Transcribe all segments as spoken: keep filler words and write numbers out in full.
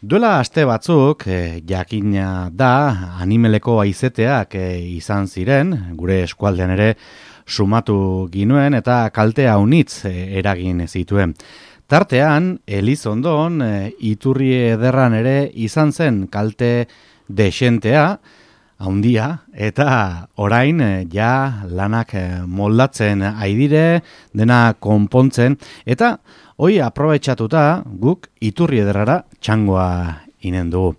Duela aste batzuk, eh, jakina da, animeleko aizeteak eh, izan ziren, gure eskualdean ere sumatu ginuen eta kalte haunitz eh, eragin zituen. Tartean, Elizondon, eh, iturri ederran ere izan zen kalte desentea, haundia, eta orain eh, ja lanak eh, moldatzen aidire, dena konpontzen, eta hoi aprobetxatuta guk iturri ederrara txangoa inen dugu.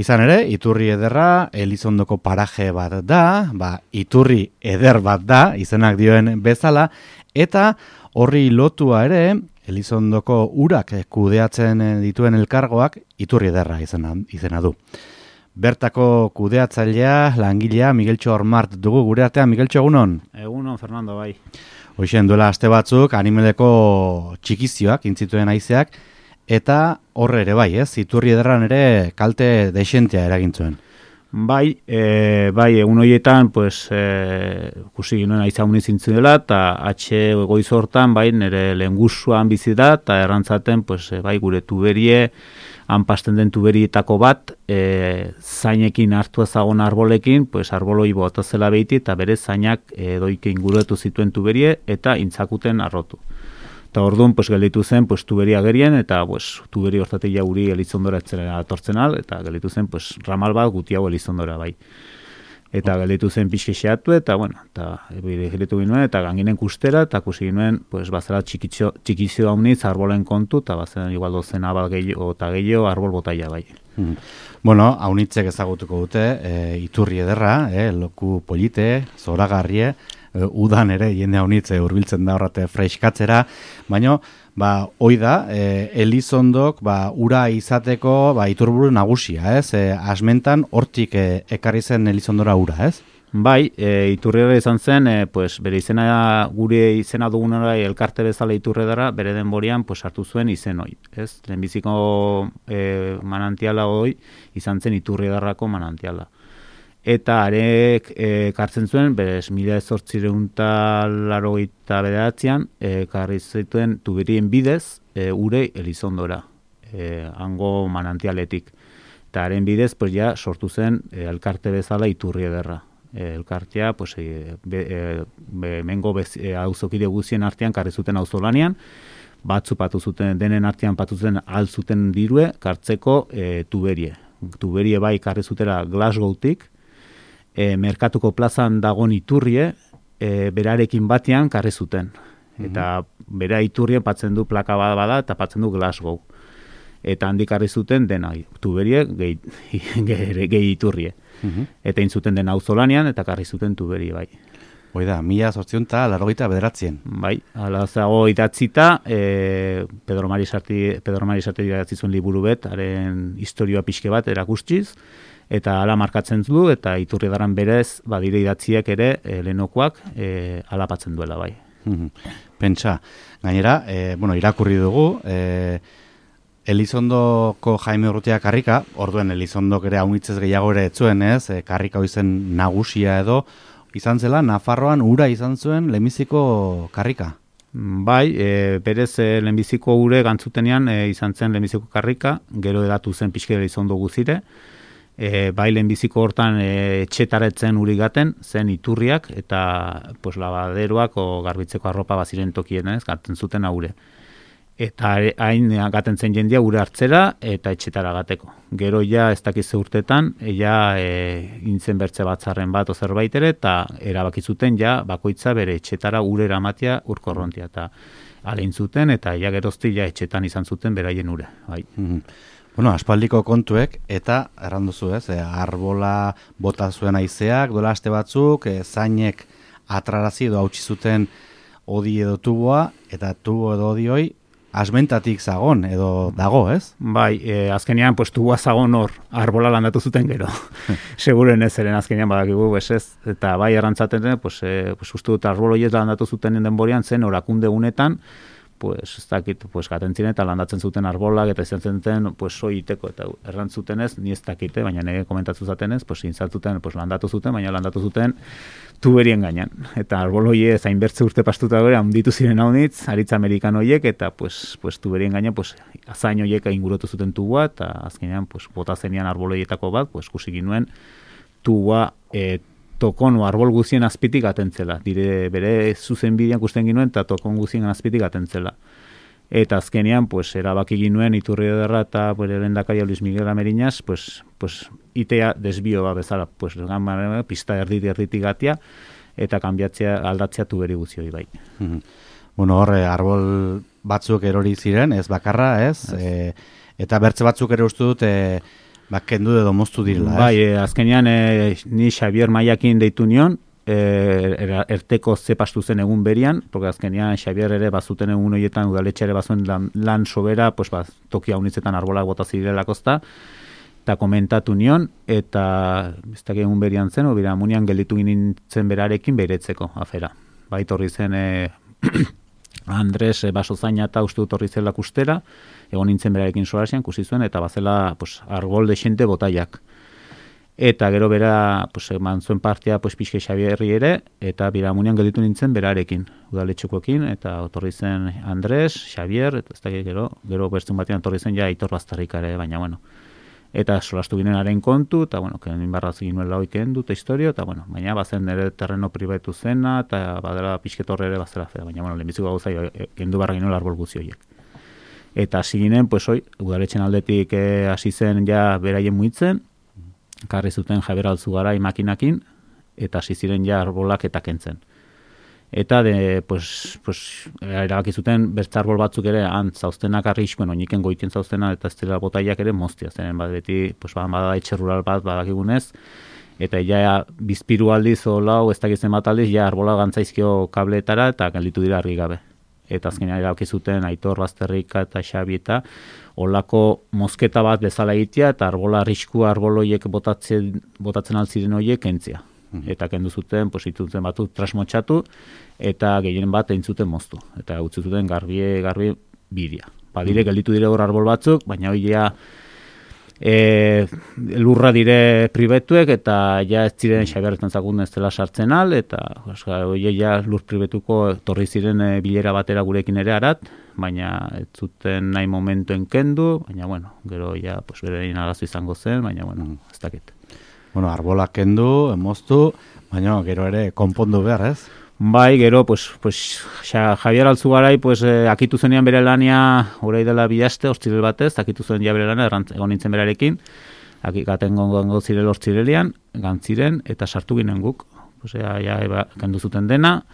Izan ere, iturri ederra Elizondoko paraje bat da, ba, iturri eder bat da, izenak dioen bezala, eta horri lotua ere, Elizondoko urak kudeatzen dituen elkargoak iturri ederra izena, izena du. Bertako kudeatzailea, langilea, Migueltxo Ormart dugu gure artean. Migueltxo, egunon? Egunon, Fernando, bai. Hoxen duela aste batzuk animeleko txikizioak intzituen haizeak, eta horre ere bai, ez? Iturri ederran ere kalte desentea eragintzuen. Bai, e, bai, egun horietan, pues, e, kusi ginoen aiza unizintzen dela, eta atxe goiz hortan, bai, nire lehengusuan bizi da, eta errantzaten, pues, bai, gure tuberie, hanpasten den tuberietako bat, e, zainekin hartu ezagon arbolekin, pues, arboloi botazela behiti, eta bere zainak e, doike inguruetu zituen tuberie, eta intzakuten arrotu. Eta orduan, pues, gelditu zen, pues, tuberia gerien, eta, pues, tuberi hortatik jauri Elizondora etzera atortzen al, eta gelditu zen, pues, ramal bat guti hau Elizondora, bai. Eta gelditu zen pixke xeatu, eta, bueno, eta gelditu ginoen, eta ganginen kustera, eta kusi ginoen, pues, bazera txikizio, txikizio haunitz arbolen kontu, eta bazera igual dozen abal gehiago, eta gehiago arbol botaia, bai. Hmm. Bueno, haunitzek ezagutuko dute, e, iturri ederra, e, loku polite, zoragarrie, e, udan ere, jende haunitze hurbiltzen da horrate freiskatzera, baina, ba, hoi da, e, Elizondok, ba, ura izateko, ba, iturburu nagusia, ez? E, asmentan, hortik e, ekarri zen Elizondora ura, ez? Bai, e, iturriera izan zen, e, pues, bere izena, gure izena dugunara elkarte bezala iturredara, bere denborian, pues, hartu zuen izen hoi, ez? Lehenbiziko e, manantiala hoi izan zen iturriedarrako manantiala. Eta arek e, kartzen zuen, berez, mila zortzireunta larogeita bederatzean, e, karri zituen tuberien bidez, e, ure Elizondora, e, hango manantialetik. Eta haren bidez, pues, ja, sortu zen e, elkarte bezala iturri ederra. E, elkartea, pues, e, be, e, be, mengo e, auzokide guzien artean karri zuten auzolanean, batzu patu zuten, denen artean patu zuten altzuten dirue, kartzeko e, tuberie. Tuberie bai karri zutera Glasgowtik, E, merkatuko plazan dagon iturrie, e, berarekin batean karri zuten. Eta bera iturrien patzen du plaka bat bada eta patzen du Glasgow. Eta handik karri zuten dena, tuberie gehi, gehi, gehi iturrie. Uh-huh. Eta intzuten den auzolanean eta karri zuten tuberie bai. Hoi da, mila zortzion eta larogeita bederatzien. Bai, ala zago idatzita, e, Pedro Mari Sarti, Pedro Mari Sarti idatzi zuen liburu bet, haren historioa pixke bat erakustiz, eta hala markatzen du, eta iturri daran berez, badire idatziak ere, e, lehenokoak, e, alapatzen duela, bai. Pentsa, gainera, e, bueno, irakurri dugu, e, Elizondoko Jaime Urrutia karrika, orduen Elizondok ere haunitzez gehiago ere etzuen, ez, e, karrika hoizen nagusia edo, izan zela, Nafarroan ura izan zuen lehenbiziko karrika. Bai, e, berez e, lehenbiziko ure gantzutenean e, izan zen lehenbiziko karrika, gero edatu zen pixke Elizondo guzire, E, bai lehenbiziko hortan e, etxetaretzen uri gaten, zen iturriak, eta pues, labaderoak o garbitzeko arropa baziren tokien, ez, gaten zuten aure. Eta hain gaten zen jendia ure hartzera eta etxetara gateko. Gero ja ez dakiz urtetan, ja e, intzen bertze batzarren bat o zerbait ere, eta erabakizuten ja bakoitza bere etxetara ure eramatia urkorrontia. Eta alein zuten, eta ja gerozti ja etxetan izan zuten beraien ure. Bai. Mm-hmm. Bueno, aspaldiko kontuek, eta erranduzu ez, e, arbola bota zuen haizeak, dola aste batzuk, e, zainek atrarazi edo hautsi zuten odi edo tuboa, eta tubo edo odi hoi asmentatik zagon edo dago, ez? Bai, e, azkenean pues, tuboa zagon hor, arbola landatu zuten gero. Seguren ez eren azkenean badakigu, ez ez, eta bai errantzaten, pues, e, pues, uste dut arboloiez landatu zuten denborian zen, orakunde unetan, pues ez dakit, pues gaten ziren eta landatzen zuten arbolak eta izan zen pues soiteko eta errantzuten ez, ni ez dakite, baina nire komentatu zatenez, pues intzatuten, pues landatu zuten, baina landatu zuten tuberien gainean. Eta arbol hoie zainbertze urte pastuta gore, handitu ziren haunitz, aritza amerikan hoiek, eta pues, pues tuberien gainean, pues azain hoiek ingurutu zuten tubua, eta azkenean, pues bota zenian arbol hoietako bat, pues kusik ginuen tubua e, tokonu arbol guzien azpitik atentzela. Dire bere zuzen bidean kusten ginuen eta tokon guzien azpitik atentzela. Eta azkenean, pues, erabaki ginuen Iturri Ederra eta bere lehendakaria Luis Miguel Ameriñas, pues, pues, itea desbio ba bezala, pues, gama, pista erditi erditik gatia, eta kanbiatzea, aldatzea tuberi guzioi bai. Bueno, horre, arbol batzuk erori ziren, ez bakarra, ez? E, eta bertze batzuk ere uste dut, e, ba, kendu edo moztu direla, ez? Bai, e, azkenean e, ni Xavier Maiakin deitu nion, e, erteko zepastu zen egun berian, porque azkenean Xavier ere bazuten egun horietan udaletxe ere bazuen lan, lan sobera, pues, ba, toki haunitzetan arbolak bota zirelakozta, eta komentatu nion, eta ez dakit egun berian zen, obira munian gelditu nintzen berarekin beretzeko afera. Bai, torri zen e, Andres e, basozaina eta uste dut horri zela kustera, egon nintzen berarekin solasean, kusi zuen, eta bazela pues, arbol desente botaiak. Eta gero bera, pues, eman zuen partea pues, pixke Xabierri ere, eta biramunian gelditu nintzen berarekin, udaletxukoekin, eta otorri zen Andres, Xavier, eta ez da gero, gero bertzun batean otorri zen ja Aitor Baztarrikare, baina bueno. Eta solastu ginen haren kontu, eta bueno, kenin barraz ginuen lau iken dut historio, eta bueno, baina bazen nire terreno pribatu zena, eta badela pixketorre ere bazela fea, baina bueno, lehenbiziko gauza gendu barra ginen arbol guzti horiek. Eta hasi ginen, pues hoi, udaletxen aldetik hasi zen ja beraien muitzen, karri zuten Javier Alzugarai makinakin, eta hasi ziren ja arbolak eta kentzen. Eta de, pues, pues, erabaki zuten bertza arbol batzuk ere han zauztenak arriskuen, oiniken goiten zauztena eta ez dela botaiak ere moztia, zenen bat beti, pues, bada etxe rural bat badakigunez, eta ja bizpiru aldiz o lau, ez dakitzen bat aldiz, ja arbola gantzaizkio kableetara eta gelditu dira argi gabe. Eta azkenean erabaki zuten Aitor Bazterrika eta Xabi eta olako mozketa bat bezala egitea eta arbola arriskua arboloiek botatzen, botatzen altziren horiek kentzia. Eta kendu zuten, pues, itutzen batu trasmotxatu, eta gehien bat egin zuten moztu. Eta utzi zuten garbie, garbi bidia. Badire, gelditu dire hor arbol batzuk, baina hori ja e, lurra dire pribetuek, eta ja ez ziren Xaberretan zakun ez dela sartzen al, eta hori ja lur pribetuko torri ziren e, bilera batera gurekin ere arat, baina ez zuten nahi momentuen kendu, baina bueno, gero ja, pues, berein arazo izango zen, baina bueno, ez dakit. Bueno, arbolak kendu, moztu, baina gero ere konpondu behar, ez? Bai, gero, pues, pues, xa, Javier Alzugarai, pues, eh, akitu zenean bere lania, orai dela bilaste, hortzirel batez, akitu zuen ja bere lana, egon nintzen berarekin, gaten gongo zirel hortzirelian, gantziren, eta sartu ginen guk. Pues, ja, ja, eba, kendu zuten dena,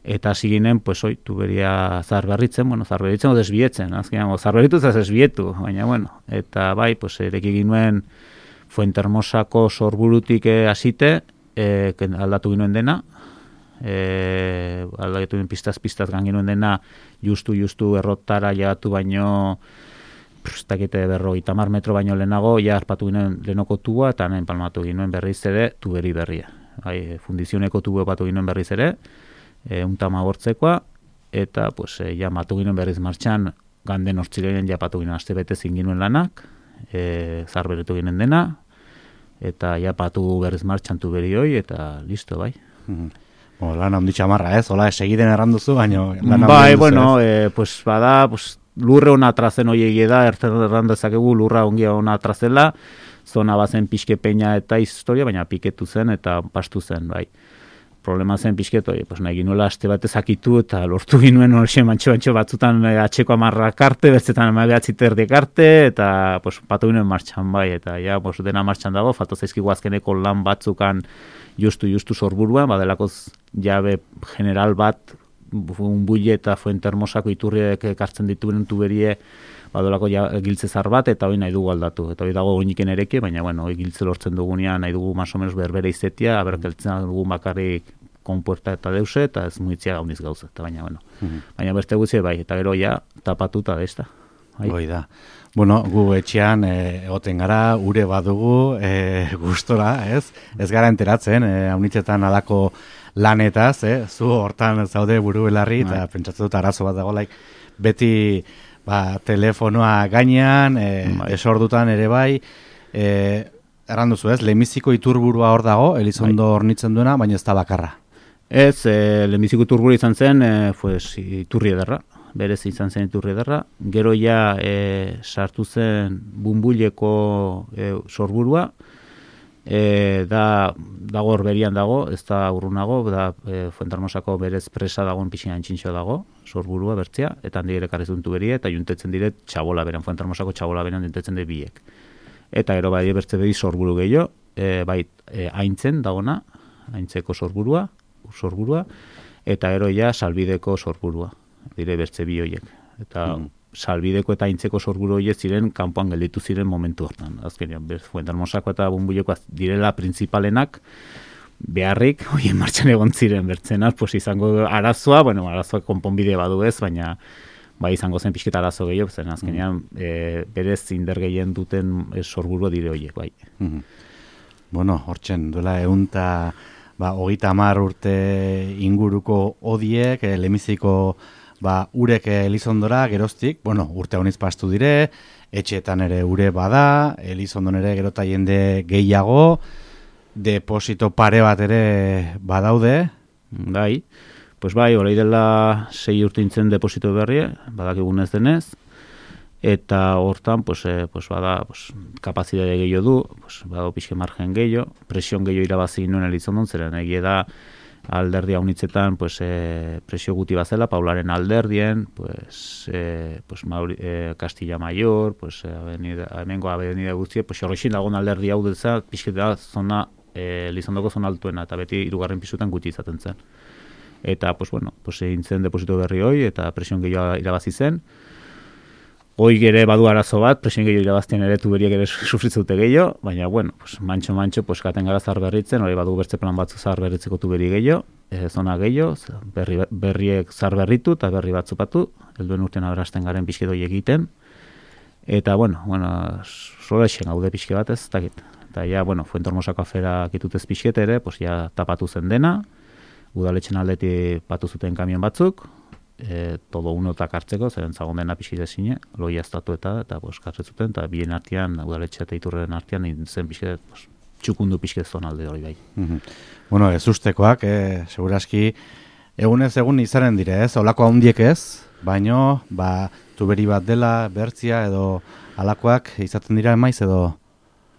eta hasi ginen, pues, oi, tuberia zarberritzen, bueno, zarberritzen o desbietzen, azkenean, zarberritu ez desbietu, baina, bueno, eta bai, pues, ereki ginuen, Fuentermosako sorburutik hasite, eh, aldatu ginoen dena, eh, aldatu ginoen pistaz-pistaz gan ginoen dena, justu-justu errotara jagatu baino, prestakite berrogeita hamar metro baino lehenago, ja harpatu ginoen lehenoko tubua, eta nahen palmatu ginoen berriz ere, tuberi berria. Bai, fundizioneko tubu epatu ginoen berriz ere, e, untama gortzekoa, eta pues, e, ja matu ginoen berriz martxan, ganden hortzilean ja patu ginoen aste bete zinginuen lanak, E, zarberetu ginen dena, eta ja patu berriz martxantu beri hoi, eta listo, bai. Mm-hmm. Bo, lan handi txamarra, ez? Hola, segiden erranduzu, baina lan bai, bueno, e, pues, bada, pues, lurre hona atrazen hoi egie da, errandezakegu lurra ongia hona atrazela, zona bazen pixke peina eta historia, baina piketu zen eta pastu zen, bai. Problema zen pixketo, pues, nahi ginuela aste batez akitu eta lortu ginuen horxe mantxo-mantxo batzutan atxeko amarrak arte, betzetan amabeatzi terdiek arte, eta pues, patu ginen martxan bai, eta ja, pues, dena martxan dago, falta zaizkigu azkeneko lan batzukan justu-justu sorburuan, badelakoz jabe general bat, un buile eta Fuentermosako iturriek ekartzen dituen tuberie, badolako ja, giltze zar bat, eta hori nahi dugu aldatu. Eta hori dago oiniken ereke, baina bueno, hori giltze lortzen dugunean nahi dugu más o menos berbere izetia, aberkeltzen dugu bakarrik konpuerta eta deuse, eta ez muitzia gauniz gauza. Eta baina, bueno, mm-hmm. baina beste gutxe bai, eta gero ja tapatuta desta. Hoi da. Bueno, gu etxean egoten gara, ure badugu, e, gustora, ez? Ez gara enteratzen, e, haunitzetan alako lanetaz, eh? Zu hortan zaude buru belarri, eta pentsatzen dut arazo bat dago, laik, beti ba, telefonoa gainean, e, bai. Esordutan ere bai, e, erran duzu ez, lehenbiziko iturburua hor dago, Elizondo bai. Hornitzen duena, baina ez da bakarra. Ez, e, lehenbiziko iturburu izan zen, e, pues, iturri ederra, berez izan zen iturri ederra, gero ja e, sartu zen Bunbuleko e, sorburua, E, da dago horberian dago, ez da urrunago, da e, Fuentermosako berez presa dagoen pixina antxintxo dago, sorburua bertzea, eta handi ere karrizuntu berie, eta juntetzen dire txabola beran, Fuentermosako txabola beran juntetzen dire biek. Eta gero bai bertze behi sorburu gehiago, e, bai e, aintzen dagona, aintzeko sorburua, sorburua, eta gero ja salbideko sorburua, dire bertze bi hoiek. Eta mm. salbideko eta aintzeko sorburu horiek ziren kanpoan gelditu ziren momentu hortan. Azkenean, Fuentermosako eta Bunbuleko direla printzipalenak beharrik horien martxan egon ziren bertzenak, pues izango arazoa, bueno, arazoa konponbide badu ez, baina bai izango zen pixketa arazo gehiago, zen azkenean mm. e, berez indar gehien duten e, sorburua dire horiek, bai. Mm. Bueno, hortzen, duela eunta ba, hogeita hamar urte inguruko odiek, e, lemiziko ba, urek Elizondora geroztik, bueno, urte honiz pastu dire, etxeetan ere ure bada, Elizondon ere gerota jende gehiago, deposito pare bat ere badaude. Bai, pues bai, horai dela sei urtintzen deposito berri, badakigun ez denez, eta hortan, pues, eh, pues bada, pues, kapazitate gehiago du, pues, badago pixke margen gehiago, presion gehiago irabazi nuen Elizondon, zeren egia da, alderdi haunitzetan pues, eh, presio guti bazela, Paularen alderdien, pues, eh, pues, Mauri, eh, Castilla Mayor, pues, eh, avenida, hemengo avenida guztie, pues, horrexin dagoen alderdi hau dutza, pixketa zona, eh, Elizondoko zona altuena, eta beti hirugarren pisutan guti izaten zen. Eta, pues, bueno, pues, egin zen deposito berri hoi, eta presion gehiago irabazi zen. Hoi ere badu arazo bat, presion gehiago irabaztien ere tuberiak ere sufritzute gehiago, baina, bueno, pues, mantxo-mantxo, pues, katen gara zar berritzen, hori badu bertze plan batzu zar berritzeko tuberi gehiago, e, zona gehiago, berri, berriek zar berritu eta berri bat zupatu, helduen urtean aberasten garen pixke doi egiten, eta, bueno, bueno, solexen gaude pixke bat ez, dakit. Eta, ja, bueno, Fuentermosako afera kitutez pixkete ere, pues, ja, tapatu zen dena, udaletxen aldeti patu zuten kamion batzuk, E, todo uno eta kartzeko, zeren zagon dena pixide zine, loia estatu eta, eta pues, kartzezuten, eta bien artean, udaletxe eta iturren artean, zen pixide, pues, txukundu pixide zonalde hori bai. Mm-hmm. Bueno, ez ustekoak, eh, seguraski, egunez egun izaren dire, ez? Olako handiek ez, baino, ba, tuberi bat dela, bertzia, edo alakoak izaten dira emaiz, edo...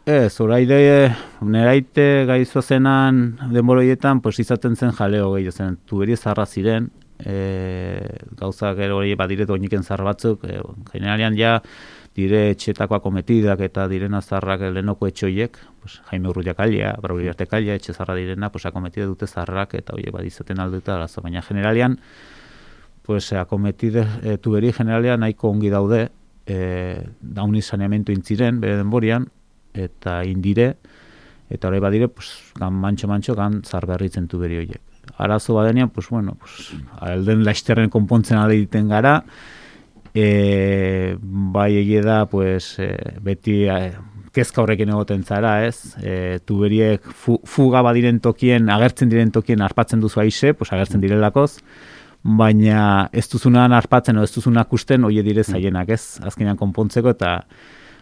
Ez, oraide, neraite gaizo zenan denboroietan, pues, izaten zen jaleo gehiago zen, tuberi zarra ziren, E, gauza gero hori badire doiniken zar batzuk, e, generalian ja dire etxetako akometidak eta direna zarrak lehenoko etxoiek, pues, Jaime Urrutia kalia, Brauriarte kalia, etxe zarra direna, pues, akometide dute zarrak eta hori badizaten alduta arazo, baina generalian pues, akometide e, tuberi generalian nahiko ongi daude, e, dauni saneamentu intziren, bere denborian, eta indire, eta hori badire, pues, gan mantxo-mantxo, gan zar berritzen tuberi horiek. Arazo badenean, pues bueno, pues, alden laizterren konpontzen ale egiten gara, e, bai egie da, pues, e, beti e, kezka horrekin egoten zara, ez? E, tuberiek fu, fuga badiren tokien, agertzen diren tokien arpatzen duzu aize, pues, agertzen direlakoz, baina ez duzunan arpatzen o ez duzunak usten, oie dire zaienak, ez? Azkenean konpontzeko, eta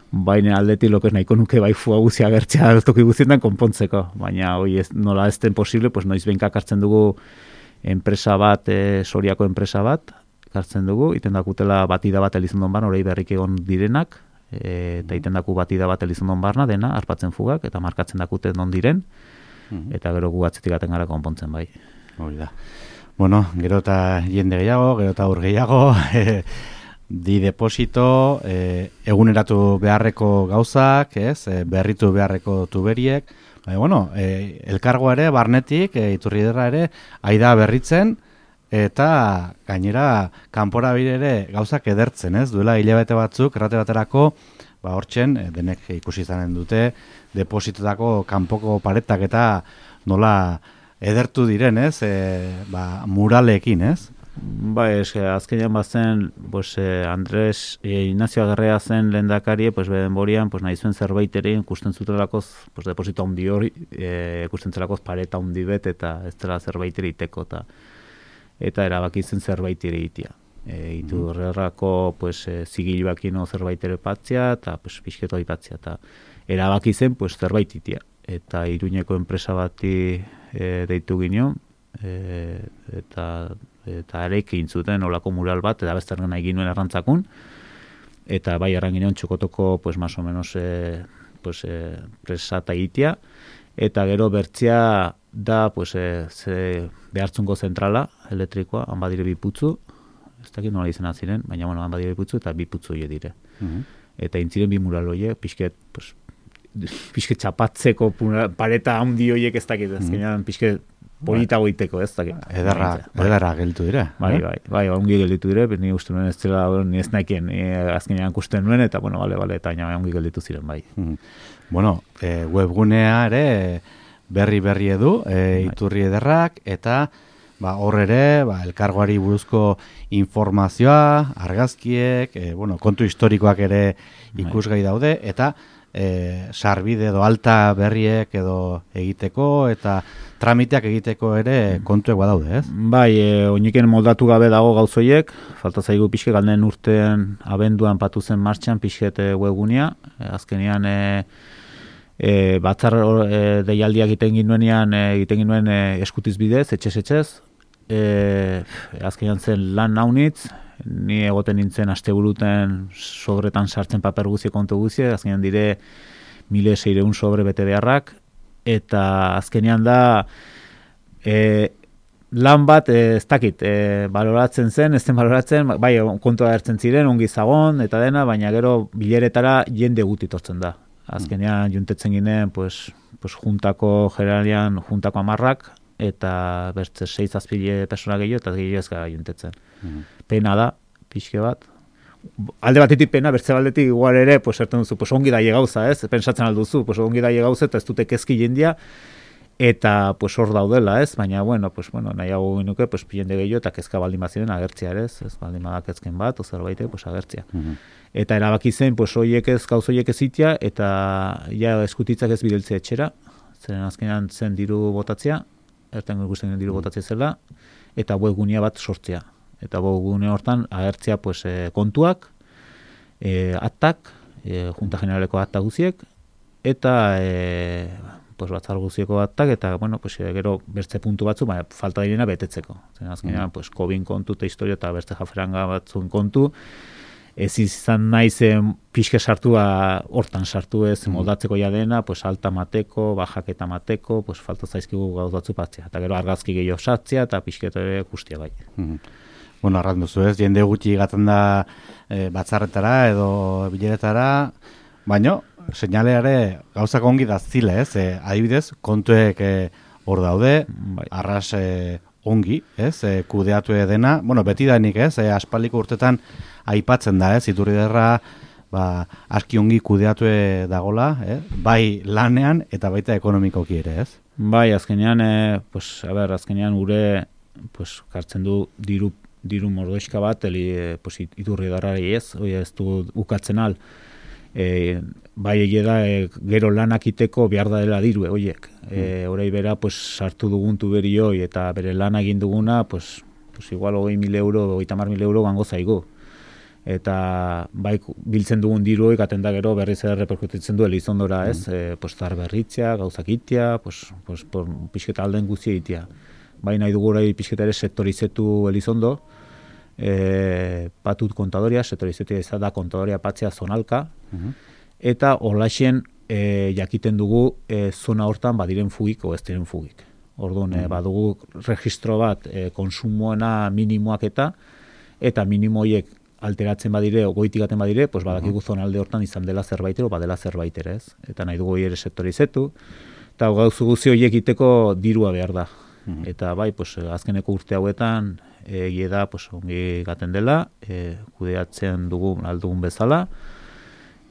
baina aldeti lokez nahiko nuke bai fuga guzi agertzea toki guztietan konpontzeko, baina hoi ez, nola ez den posible, pues noiz behinka kartzen dugu enpresa bat, e, Soriako enpresa bat, kartzen dugu, iten dakutela batida bat Elizondon barna, hori berrik egon direnak, e, eta iten daku batida bat Elizondon barna, dena, arpatzen fugak, eta markatzen dakute non diren, eta gero gu atzetik gaten gara konpontzen bai. Hori da. Bueno, gero eta jende gehiago, gero eta ur gehiago, di deposito, eh, eguneratu beharreko gauzak, ez, eh, berritu beharreko tuberiek, baina, bueno, eh, elkargoa ere, barnetik, eh, iturriderra ere, aida berritzen, eta gainera, kanpora bire ere gauzak edertzen, ez, duela hilabete batzuk, errate baterako, ba, hortzen, eh, denek ikusi izanen dute, depositotako kanpoko paretak eta nola edertu diren, ez, eh, ba, muralekin, ez? Ba, es, azkenean bazen, pues, eh, Andres eh, Ignacio Agarrea zen lehendakari, pues, denborian, pues, nahi zuen zerbait ere, ikusten zutelakoz, pues, deposito handi hori, eh, ikusten zelakoz pareta handi bet, eta ez dela zerbait ere iteko, eta, eta erabaki zen zerbait ere itea. E, iturrerrako pues, e, zigilbakino zerbait ere patzia, eta pues, pixketo ipatzia, eta erabaki zen pues, zerbait itia. Eta Iruñeko enpresa bati e, deitu gino, e, eta eta areik egin zuten olako mural bat, eta bezterren nahi ginuen errantzakun, eta bai erran ginen txokotoko, pues, más o menos, e, pues, e, presata itia, eta gero bertzia da, pues, e, ze behartzungo zentrala, elektrikoa, han badire bi putzu, ez dakit nola izena ziren, baina, bueno, han badire bi putzu, eta bi putzu hile dire. Uh-huh. Eta intziren bi mural hoiek, pixket, pues, pixket txapatzeko pareta handi horiek ez dakit, ezkenean pixket polita goiteko, ez dakit. Edarra, edarra gelditu dire. Bai, bai, bai, ongi gelditu dire, ni uste nuen ez zela, ni ez naikien, azkenean kusten nuen, eta, bueno, bale, bale, eta ongi gelditu ziren, bai. Mm. Bueno, e, webgunea ere berri-berri edu, e, iturri ederrak, eta ba, hor ere, ba, elkargoari buruzko informazioa, argazkiek, e, bueno, kontu historikoak ere ikusgai daude, eta e, sarbide edo alta berriek edo egiteko, eta tramiteak egiteko ere kontuek badaude, ez? Bai, e, oiniken moldatu gabe dago gauzoiek, falta zaigu pixke galden urtean abenduan patu zen martxan pixket webgunea, e, azkenean e, e, batzar e, deialdiak egiten ginuenean, e, egiten ginuen e, eskutiz bidez, etxez-etxez, e, azkenean zen lan naunitz, ni egoten nintzen asteburuten sobretan sartzen paper guzi kontu guzi, azkenean dire mila seiehun sobre bete beharrak, eta azkenean da e, lan bat e, ez dakit, e, baloratzen zen, ez zen baloratzen, bai kontua hartzen ziren, ongi zagon, eta dena, baina gero bileretara jende guti tortzen da. Azkenean juntetzen ginen, pues, pues juntako generalian, juntako amarrak, eta bertze seiz azpile persona gehiago, eta gehiago ez gara juntetzen. Mm. Pena da, pixke bat. Alde batetik pena, bertze baldetik igual ere, pues, erten duzu, pues, ongi daie gauza, ez? Pensatzen alduzu, pues, ongi daie gauza, eta ez dute kezki jendia, eta pues, hor daudela, ez? Baina, bueno, pues, bueno, nahiago genuke, pues, jende gehiago, eta kezka baldin baziren agertzia, ez? Ez baldin badak ezken bat, ozerbait, pues, agertzia. Mm-hmm. Eta erabaki zen, pues, hoiek ez, gauz hoiek ez itia, eta ja eskutitzak ez bideltzea etxera, zen azkenean zen diru botatzea, erten ikusten diru botatzea zela, eta webgunea bat sortzea. Eta webgune hortan agertzea pues, e, kontuak, e, aktak, e, Junta Generaleko akta guziek, eta e, pues, batzar guzieko aktak, eta bueno, pues, e, gero bertze puntu batzu, baina falta direna betetzeko. Zen azkenean, mm. pues, COVID kontu eta historia eta bertze jaferanga batzuen kontu, ez izan naizen pixke sartua hortan sartu ez moldatzeko ja dena, pues alta mateko, bajaketa mateko, pues falta zaizkigu gauz batzu patzea. Eta gero argazki gehiago sartzea eta pixketo ere guztia bai. Mm. Bueno, arrat duzu ez, jende gutxi gaten da e, batzarretara edo bileretara, baino, seinaleare gauzak ongi da zile ez, e, adibidez, kontuek hor e, daude, bai. Arras e, ongi, ez, e, kudeatu dena, bueno, beti danik ez, e, aspaldiko urtetan aipatzen da, ez, Iturriederra ba, aski ongi kudeatu dagola, eh? Bai lanean eta baita ekonomikoki ere, ez? Bai, azkenean, eh, pues, a ber, azkenean gure pues, kartzen du diru, diru mordoizka bat, eli, eh, pues, Iturriederrari ez, oi ez du ukatzen al, eh, bai egie da, eh, gero lanak iteko behar da dela diru, oiek. Eh, Horai bera, pues, sartu dugun tuberi hoi, eta bere lan egin duguna, pues, pues, igual hogei mil euro, hogeita hamar mil euro gango zaigu. Eta bai biltzen dugun diru ikaten da gero berriz ere reperkutitzen du Elizondora, ez? Mm. E, pues zar berritzea, gauzak itea, pues pues por pixketa alden guztia itea. Bai nahi dugu orai pixketa ere sektorizetu Elizondo. Eh, patut kontadoria, sektorizetu ez da kontadoria patzea zonalka. Mm-hmm. Eta horlaxen e, jakiten dugu e, zona hortan badiren fugik o ez diren fugik. Orduan, mm-hmm. e, badugu registro bat e, konsumoena minimoak eta eta minimoiek alteratzen badire, goitik gaten badire, pues badakigu zonalde hortan izan dela zerbait ero, badela zerbait ere, ez? Eta nahi dugu ere sektorizetu, eta gauzu guzi horiek iteko dirua behar da. Mm. Eta bai, pues, azkeneko urte hauetan, egie da, pues, ongi gaten dela, e, kudeatzen dugu aldugun bezala,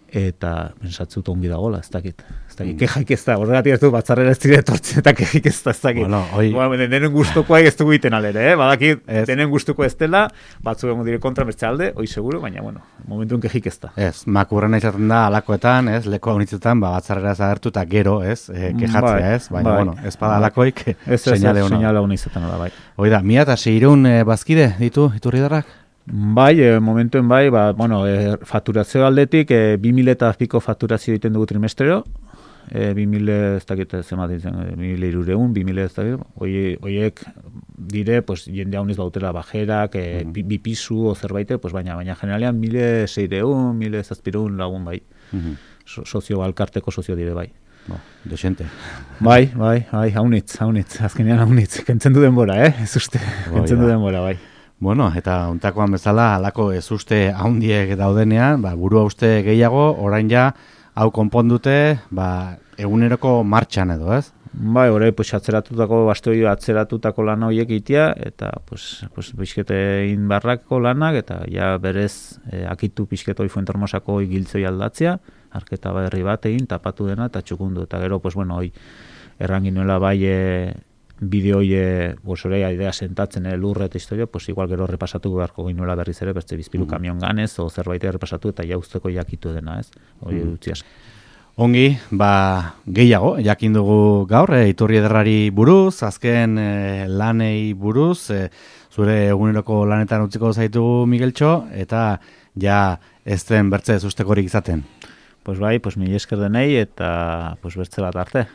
eta pensatzut ongi dagoela, ez dakit. Ez dakit, mm. kexaik ez da, horregatik ez du batzarrera ez dire etortzen, eta kexaik ez da, ez dakit. Bueno, oi... bueno, denen gustukoak ez dugu iten alere, eh? Badakit, denen gustuko ez dela, batzu egon dire kontra bertze alde, hoi seguro, baina, bueno, momentuen kexaik ez da. Ez, makurrena izaten da alakoetan, ez, leko honitzetan, ba, batzarrera zagertu eta gero, ez, e, kejatzea, ez, baina, bai, bueno, ez bada alakoik, seinale hona. Seinale hona izaten da, bai. Hoi da, mila eta seireun e, bazkide ditu Iturriederrak? Bai, e, momentuen bai, ba, bueno, e, fakturazio aldetik, e, bi mila eta piko fakturazio egiten dugu trimestrero, e, bi mila ez dakit zemat ditzen, bi mila irureun, bi mila ez dakit, oiek dire, pues, jende hauniz bautela bajerak, e, mm. bi, bi pisu o zerbait, pues, baina, baina generalean mila seireun, mila zazpireun lagun bai, mm-hmm. so, sozio, alkarteko sozio dire bai. Bo, desente. Bai, bai, bai, haunitz, haunitz, azkenean haunitz, kentzen du denbora, eh, ez uste, oh, kentzen du denbora, bai. Bueno, eta untakoan bezala, halako ez uste haundiek daudenean, ba, burua uste gehiago, orain ja, hau konpondute, ba, eguneroko martxan edo, ez? Bai, orain, pues, atzeratutako, bastoi atzeratutako lan horiek itia, eta, pues, pues, pixkete inbarrako lanak, eta ja berez, eh, akitu pixketoi Fuentermosako giltzoi aldatzea, arketa berri bat egin, tapatu dena, eta txukundu, eta gero, pues, bueno, hoi, erranginuela bai, e, bideo hori, pues, orea idea sentatzen, eh, lurre eta historia, pues, igual gero repasatu beharko ginuela berriz ere, beste bizpilu mm. kamion ganez, o zerbait repasatu, eta jauzteko jakitu dena, ez? Hori mm. utziaz. Ongi, ba, gehiago, jakin dugu gaur, e, Iturri Ederrari buruz, azken e, lanei buruz, e, zure eguneroko lanetan utziko zaitugu Migueltxo, eta ja ez den bertze zustekorik izaten. Pues bai, pues mila esker denei, eta pues bertze bat arte.